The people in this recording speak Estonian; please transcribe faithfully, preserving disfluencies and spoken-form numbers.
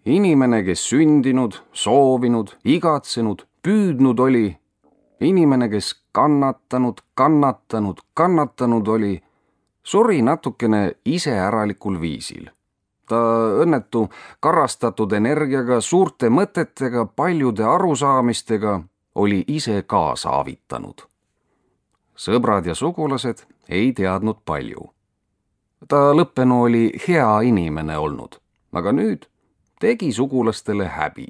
Inimene, kes sündinud, soovinud, igatsenud, püüdnud oli. Inimene, kes kannatanud, kannatanud, kannatanud oli, suri natukene iseäralikul viisil. Ta õnnetu karastatud energiaga, suurte mõtetega, paljude arusaamistega oli ise kaasa avitanud. Sõbrad ja sugulased ei teadnud palju. Ta lõppenu oli hea inimene olnud, aga nüüd tegi sugulastele häbi.